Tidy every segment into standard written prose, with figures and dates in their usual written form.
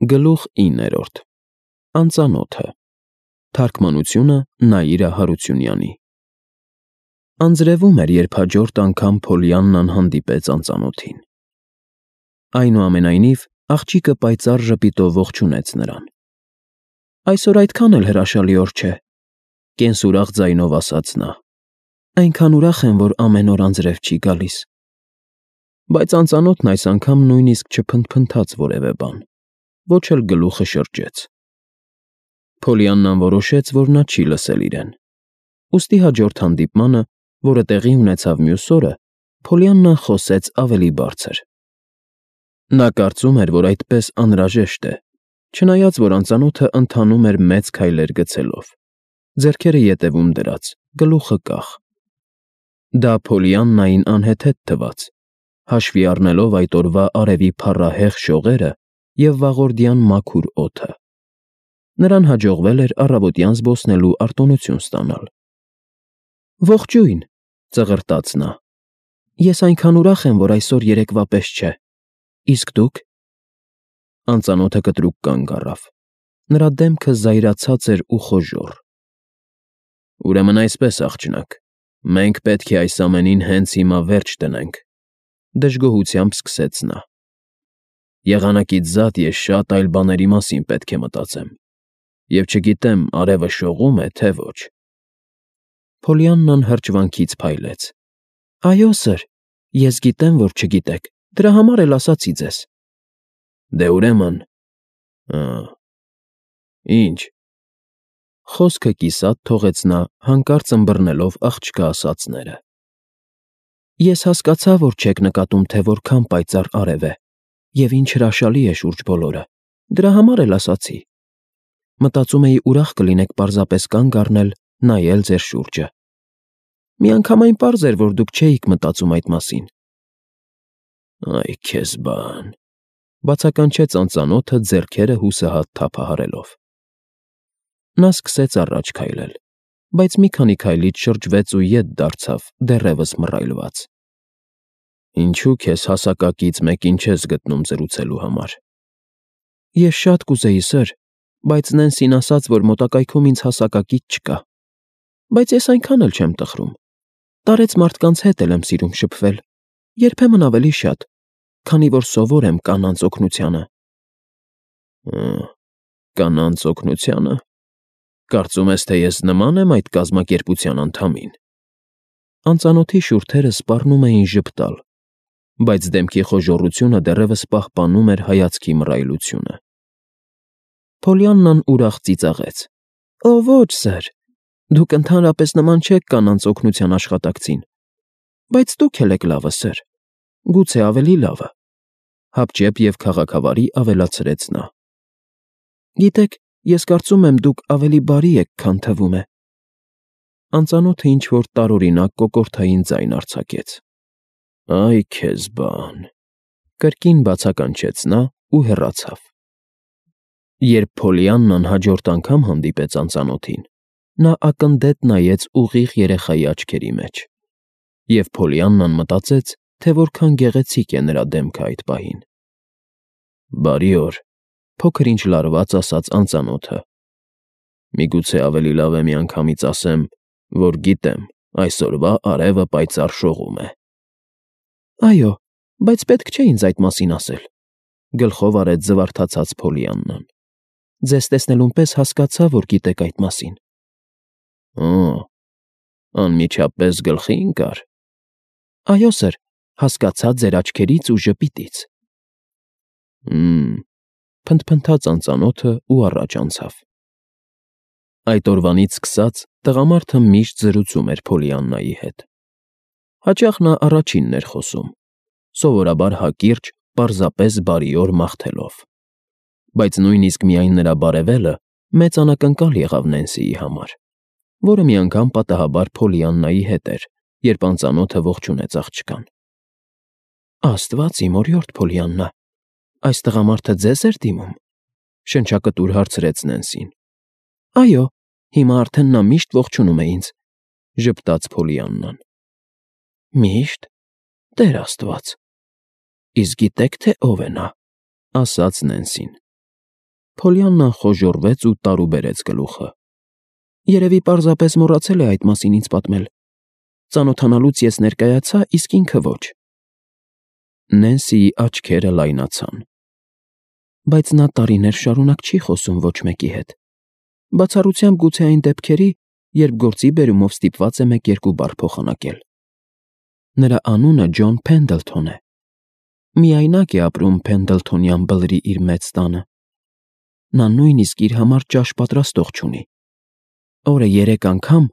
Գլուխ 9. Անծանոթը։ Թարգմանությունը Նաիրա Հարությունյանի։ Անձրևում էր, երբ հաջորդ անգամ Փոլիաննան հանդիպեց անծանոթին։ Այնուամենայնիվ, աղջիկը պայծառ ժպիտով ողջունեց նրան։ Այսօր այդքան էլ հրաշալի օր չէ, կենսուրախ ձայնով ասաց նա։ Այնքան ուրախ եմ, որ ամեն օր անձրև չի գալիս։ Բայց անծանոթն այս անգամ նույնիսկ չփնթփնթաց որևէ բան, ոչ էլ գլուխը շրջեց։ Փոլիաննան որոշեց, որ նա չի լսել իրեն։ Ուստի հաջորդ հանդիպմանը, որը տեղի ունեցավ մյուս օրը, Փոլիաննան խոսեց ավելի բարձր։ Նա կարծում էր, որ այդպես անհրաժեշտ է, չնայած որ անծանոթը ընթանում էր մեծ քայլեր գցելով, ձեռքերը ետևում դրած, գլուխը կախ։ Դա Փոլիաննային անհեթեթ թվաց, հաշվի առնելով այդ օրվա արևի փառահեղ շողերը և վաղորդյան մաքուր օդը։ Նրան հաջողվել էր առավոտյան զբոսնելու արտոնություն ստանալ։ Ողջույն, ծղրտաց նա։ Ես այնքան ուրախ եմ, որ այսօր երեկվա պես չէ։ Իսկ դուք։ Անծանոթը կտրուկ կանգ առավ։ Նրա դեմքը զայրացած էր ու խոժոռ։ Ուրեմն այսպես, աղջնակ, մենք պետք է այս ամենին հենց հիմա վերջ դնենք, դժգոհությամբ սկսեց նա։ Եղանակից զատ ես շատ այլ բաների մասին պետք է մտածեմ, և չգիտեմ արևը շողում է, թե ոչ։ Փոլիաննան հրճվանքից փայլեց։ Այո, սըր, ես գիտեմ, որ չգիտեք, դրա համար էլ ասացի ձեզ։ Դե ուրեմն… Ինչ… Խոսքը կիսատ թողեց նա, հանկարծ ըմբռնելով աղջկա ասածները։ Ես հասկացա, որ չեք նկատում, թե որքան պայծառ արև է, և ինչ հրաշալի է շուրջ բոլորը, դրա համար էլ ասացի։ Մտածում էի ուրախ կլինեք պարզապես կանգ առնել, նայել ձեր շուրջը։ Միանգամայն պարզ էր, որ դուք չէիք մտածում այդ մասին։ Այ քեզ բան… Բացականչեց անծանոթը ձեռքերը հուսահատ թափահարելով։ Նա սկսեց առաջ քայլել, բայց մի քանի քայլից շրջվեց ու ետ դարձավ, դեռևս մռայլված։ Ինչու քեզ հասակակից մեկին չես գտնում զրուցելու համար։ Ես շատ կուզեի, սըր, բայց Նենսին ասաց, որ մոտակայքում ինձ հասակակից չկա։ Բայց ես այնքան էլ չեմ տխրում։ Տարեց մարդկանց հետ էլ եմ սիրում շփվել, երբեմն ավելի շատ, քանի որ սովոր եմ կանանց օգնությանը։ Կանանց օգնությանը… Կարծում ես, թե ես նման եմ այդ կազմակերպության անդամին։ Անծանոթի շուրթերը սպառնում էին ժպտալ, բայց դեմքի խոժոռությունը դեռևս պահպանում էր հայացքի մռայլությունը։ Փոլիաննան ուրախ ծիծաղեց. Օ, ոչ, սըր, դուք ընդհանրապես նման չեք կանանց օգնության աշխատակցին, բայց դուք էլ եք լավը, սըր, գուցե ավելի լավը, հապճեպ և քաղաքավարի ավելացրեց նա։ Գիտեք, ես կարծում եմ, դուք ավելի բարի եք, քան թվում է։ Անծանոթը ինչ-որ տարօրինակ կոկորդային ձայն արձակեց։ Այ քեզ բան… Կրկին բացականչեց նա ու հեռացավ։ Երբ Փոլիաննան հաջորդ անգամ հանդիպեց անծանոթին, նա ակնդետ նայեց ուղիղ երեխայի աչքերի մեջ, և Փոլիաննան մտածեց, թե որքան գեղեցիկ է նրա դեմքը այդ պահին։ Բարի օր, փոքր-ինչ լարված ասաց անծանոթը։ Միգուցե ավելի լավ է միանգամից ասեմ, որ գիտեմ, այսօրվա արևը պայծառ շողում է։ Այո, բայց պետք չէ ինձ այդ մասին ասել, գլխով արեց զվարթացած Փոլիաննան։ Ձեզ տեսնելուն պես հասկացա, որ գիտեք այդ մասին։ Անմիջապես գլխի ընկա՞ր։ Այո, սըր, հասկացա ձեր աչքերից ու ժպիտից։ Փնթփնթաց անծանոթը ու առաջ անցավ։ Այդ օրվանից սկսած տղամարդը միշտ զրուցում էր Փոլիաննայի հետ։ Հաճախ նա առաջինն էր խոսում, սովորաբար հակիրճ, պարզապես բարիօր մաղթելով։ Բայց նույնիսկ միայն նրա բարևելը մեծ անակնկալ եղավ Նենսիի համար, որը մի անգամ պատահաբար Փոլիաննայի հետ էր, երբ անծանոթը ողջունեց աղջկան։ Աստված իմ օրիորդ Փոլիաննա, այս տղամարդը ձեզ էր դիմում, շնչակտուր հարցրեց Նենսին։ Այո, հիմա արդեն նա միշտ ողջունում է ինձ, ժպտաց Փոլիաննան։ Միշտ… Տեր Աստված… Իսկ գիտեք, թե ով է նա, ասաց Նենսին։ Փոլիաննան խոժոռվեց ու տարուբերեց գլուխը։ Երևի պարզապես մոռացել է այդ մասին ինձ պատմել։ Ծանոթանալուց ես ներկայացա, իսկ ինքը ոչ։ Նենսիի աչքերը լայնացան։ Բայց նա տարիներ շարունակ չի խոսում ոչ մեկի հետ։ Բացառությամբ գուցե այն դեպքերի, երբ գործի բերումով ստիպված է մեկ-երկու բառ փոխանակել։ Նրա անունը Ջոն Փենդլթոն է։ Միայնակ է ապրում Փենդլթոնյան բլրի իր մեծ տանը։ Նա նույնիսկ իր համար ճաշ պատրաստող չունի։ Օրը 3 անգամ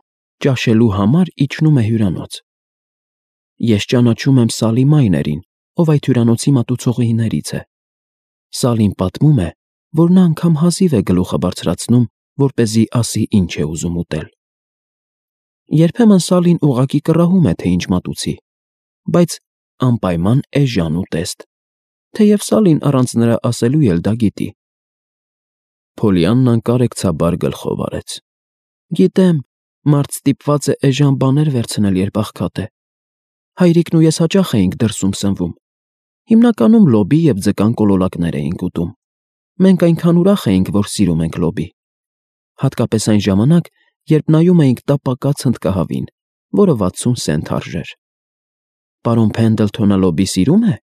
ճաշելու համար իջնում է հյուրանոց։ Ես ճանաչում եմ Սալի Մայներին, ով այդ հյուրանոցի մատուցողիներից է։ Սալին պատմում է, որ նա անգամ հազիվ է գլուխը բարձրացնում, որպեսզի ասի ինչ է ուզում ուտել։ Երբեմն Սալին ուղղակի կռահում է, թե ինչ մատուցի, բայց անպայման էժան ու տեստ, թեև Սալին առանց նրա ասելու էլ դա գիտի։ Փոլիաննան կարեկցաբար գլխով արեց։ Գիտեմ, մարդ ստիպված է էժան բաներ վերցնել, երբ աղքատ է։ Հայրիկն ու ես հաճախ էինք դրսում սնվում։ Հիմնականում լոբի և ձկան կոլոլակներ էինք ուտում։ Մենք այնքան ուրախ էինք, որ սիրում ենք լոբի։ Հատկապես այն ժամանակ, երբ նայում էինք տապակած հնդկահավին, որը 60 սենտ արժեր։ Պարոն Փենդլթոնը լոբի սիրում է։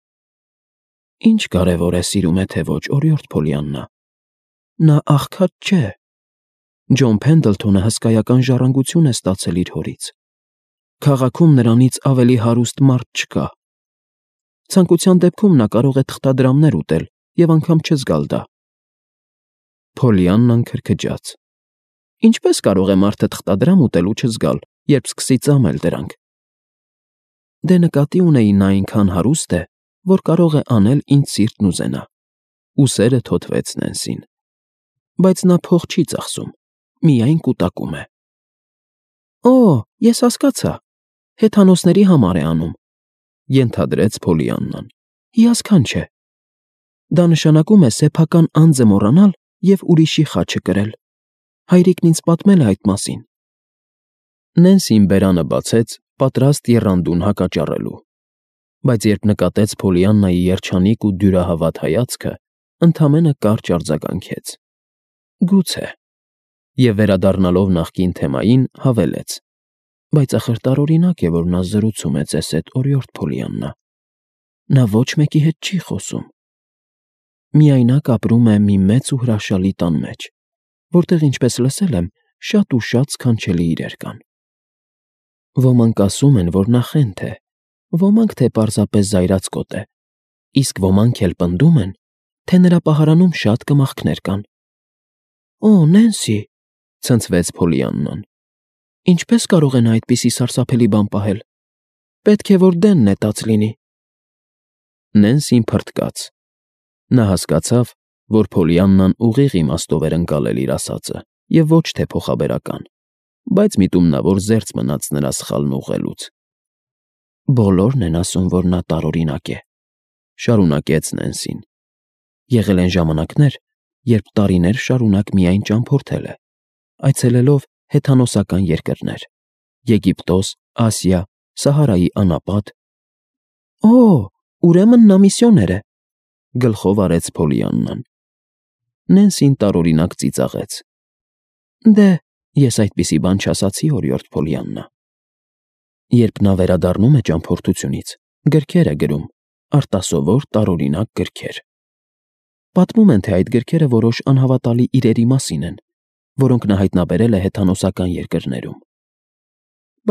Ինչ կարևոր է սիրում է, թե ոչ, օրիորդ Փոլիաննա։ Նա աղքատ չէ։ Ջոն Փենդլթոնը հսկայական ժառանգություն է ստացել իր հորից։ Քաղաքում նրանից ավելի հարուստ մարդ չկա։ Ցանկության դեպքում նա կարող է թղթադրամներ ուտել և անգամ չզգալ դա։ Փոլիաննան քրքջաց։ Ինչպես կարող է մարդը թղթադրամ ուտել ու չզգալ, երբ սկսի ծամել դրանք։ Դե նկատի ունեի նա այնքան հարուստ է, որ կարող է անել ինչ սիրտն ուզենա։ Ուսերը թոթվեց Նենսին։ Բայց նա փող չի ծախսում, միայն կուտակում է։ Օ, ես հասկացա, հեթանոսների համար է անում, ենթադրեց Փոլիաննան։ Հիասքանչ է։ Դա նշանակում է սեփական անձը մոռանալ և ուրիշի խաչը կրել։ Հայրիկն ինձ պատմել է այդ մասին։ Նենսին բերանը բացեց, պատրաստ եռանդուն հակաճառելու։ Բայց երբ նկատեց Փոլիաննայի երջանիկ ու դյուրահավատ հայացքը, ընդամենը կարճ արձագանքեց։ Գուցե։ Եվ վերադառնալով նախկին թեմային, հավելեց. Բայց ախր տարօրինակ է, որ նա զրուցում է ձեզ հետ, օրիորդ Փոլիաննա։ Նա ոչ մեկի հետ չի խոսում։ Միայնակ ապրում է մի մեծ ու հրաշալի տան մեջ, որտեղ, ինչպես լսել եմ, շատ ու շատ սքանչելի իրեր կան։ Ոմանք ասում են, որ նա խենթ է, ոմանք, թե պարզապես զայրացկոտ է, իսկ ոմանք էլ պնդում են, թե նրա պահարանում շատ կմախքներ կան։ Օ, Նենսի, ցնցվեց Փոլիաննան։ Ինչպես կարող է նա այդպիսի սարսափելի բան պահել։ Պետք է որ դեն նետած լինի։ Նենսին փռթկաց։ Նա հասկացավ, որ Փոլիաննան ուղիղ իմաստով էր ընկալել իր ասածը և ոչ թե փոխաբերական, բայց միտումնավոր զերծ մնաց նրա սխալն ուղղելուց։ Բոլորն են ասում, որ նա տարօրինակ է, շարունակեց Նենսին։ Եղել են ժամանակներ, երբ տարիներ շարունակ միայն ճամփորդել է, այցելելով հեթանոսական երկրներ՝ Եգիպտոս, Ասիա, Սահարայի անապատ։ Օ, ուրեմն նա միսիոներ է, գլխով արեց Փոլիաննան։ Նենսին տարօրինակ ծիծաղեց։ Դե, ես այդպիսի բան չասացի, օրիորդ Փոլիաննա։ Երբ նա վերադառնում է ճամփորդությունից, գրքեր է գրում, արտասովոր տարօրինակ գրքեր։ Պատմում են, թե այդ գրքերը որոշ անհավատալի իրերի մասին են, որոնք նա հայտնաբերել է հեթանոսական երկրներում։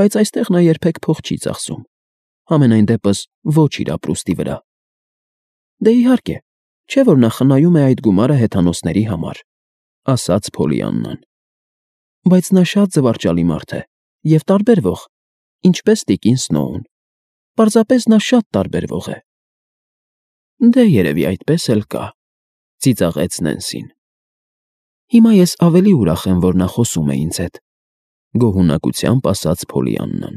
Բայց այստեղ նա երբեք փող չի ծախսում, համենայն դեպս ոչ իր ապրուստի վրա։ Դե իհարկե, չէ՞ որ նա խնայում է այդ գումարը հեթանոսների համար, ասաց Փոլիաննան։ Բայց նա շատ զվարճալի մարդ է և տարբերվող, ինչպես տիկին Սնոուն։ Պարզապես նա շատ տարբերվող է։ Դե երևի այդպես էլ կա, ծիծաղեց Նենսին։ Հիմա ես ավելի ուրախ եմ, որ նա խոսում է ինձ հետ, գոհունակությամբ ասաց Փոլիաննան։